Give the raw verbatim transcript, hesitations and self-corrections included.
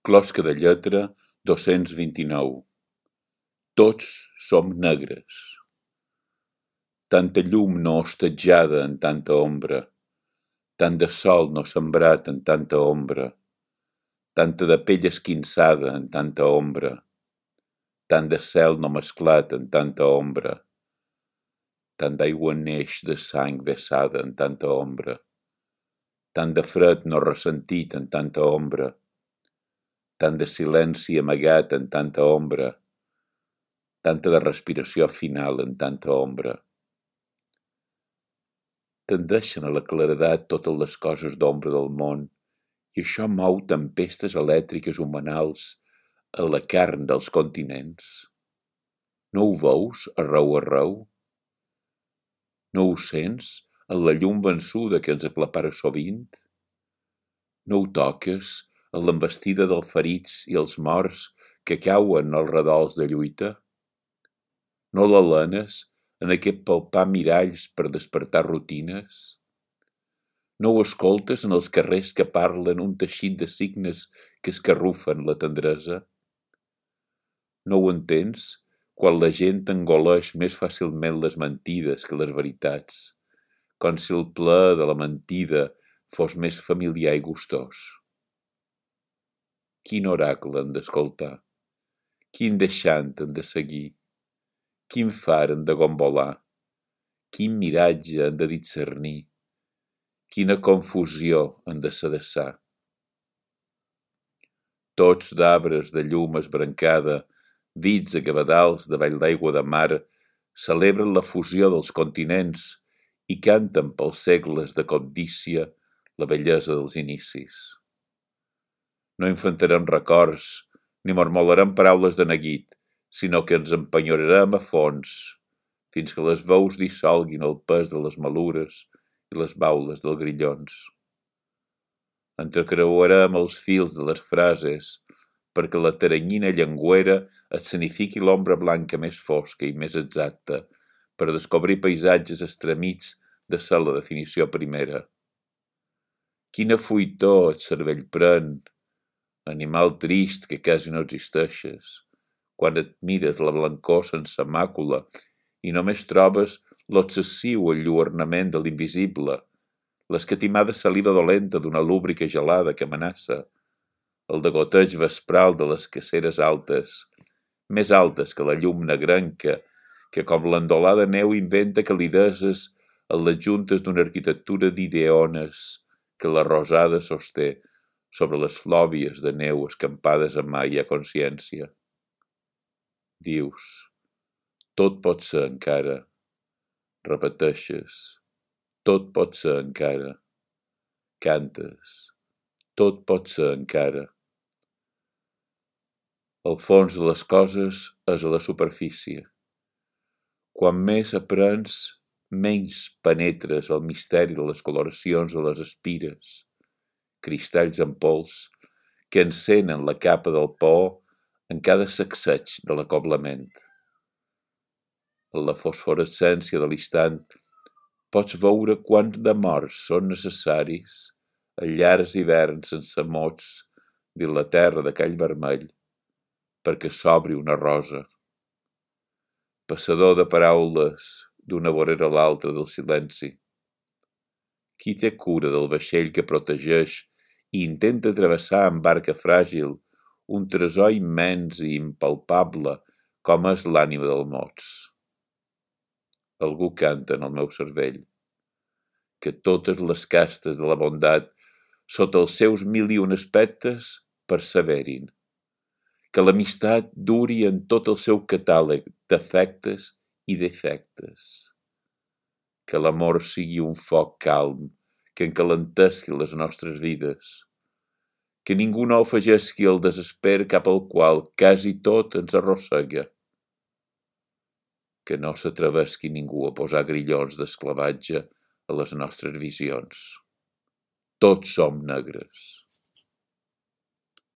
Closca de lletra dos-cents vint-i-nou. Tots som negres. Tanta llum no hostatjada en tanta ombra, tant de sol no sembrat en tanta ombra, tanta de pell esquinçada en tanta ombra, tant de cel no mesclat en tanta ombra, tant d'aigua neix de sang vessada en tanta ombra, tant de fred no ressentit en tanta ombra, tant de silenci amagat en tanta ombra, tanta de respiració final en tanta ombra. Tendeixen a la claredat totes les coses d'ombra del món, i això mou tempestes elèctriques humanals a la carn dels continents. No ho veus arreu arreu? No ho sents en la llum vençuda que ens aclapara sovint? No ho toques en l'envestida dels ferits i els morts que cauen als redols de lluita? No l'alenes en aquest palpar miralls per despertar rutines? No ho escoltes en els carrers que parlen un teixit de signes que escarrufen la tendresa? No ho entens quan la gent engoleix més fàcilment les mentides que les veritats, com si el plaer de la mentida fos més familiar i gustós? Quin oracle han d'escoltar? Quin deixant han de seguir? Quin far han de gombolar? Quin miratge han de discernir? Quina confusió han de sedessar? Tots d'arbres de llum esbrancada, dits a cabedals davall l'aigua de mar, celebren la fusió dels continents i canten pels segles de cobdícia la bellesa dels inicis. No infantarem records, ni mormolarem paraules de neguit, sinó que ens empenyorarem a fons, fins que les veus dissolguin el pes de les malures i les baules dels grillons. Entrecreuarem els fils de les frases perquè la teranyina llengüera escenifiqui l'ombra blanca més fosca i més exacta per descobrir paisatges estremits de ser la definició primera. Quina fuitor el cervell pren, animal trist que quasi no existeixes, quan et mires la blancor sense màcula i només trobes l'obsessiu enlluernament de l'invisible, l'escatimada saliva dolenta d'una lúbrica gelada que amenaça, el degoteig vespral de les caceres altes, més altes que la llum negrenca, que com l'endolada neu inventa calideses en les juntes d'una arquitectura d'ideones que la rosada sosté sobre les flòbies de neu escampades en mai a consciència. Dius, tot pot ser encara. Repeteixes, tot pot ser encara. Cantes, tot pot ser encara. El fons de les coses és a la superfície. Quan més aprens, menys penetres el misteri de les coloracions a les espires, cristalls en pols, que encenen la capa del por en cada sacseig de l'acoblament. En la fosforescència de l'instant pots veure quants de morts són necessaris a llargs hiverns sense mots dins la terra de call vermell perquè s'obri una rosa. Passador de paraules d'una vorera a l'altra del silenci. Qui té cura del vaixell que protegeix i intenta travessar amb barca fràgil un tresor immens i impalpable com és l'ànima dels mots? Algú canta en el meu cervell que totes les castes de la bondat sota els seus mil i un aspectes perseverin, que l'amistat duri en tot el seu catàleg d'efectes i defectes, que l'amor sigui un foc calm que encalentesqui les nostres vides, que ningú no afegisqui el desesper cap al qual quasi tot ens arrossega, que no s'atrevesqui ningú a posar grillons d'esclavatge a les nostres visions. Tots som negres.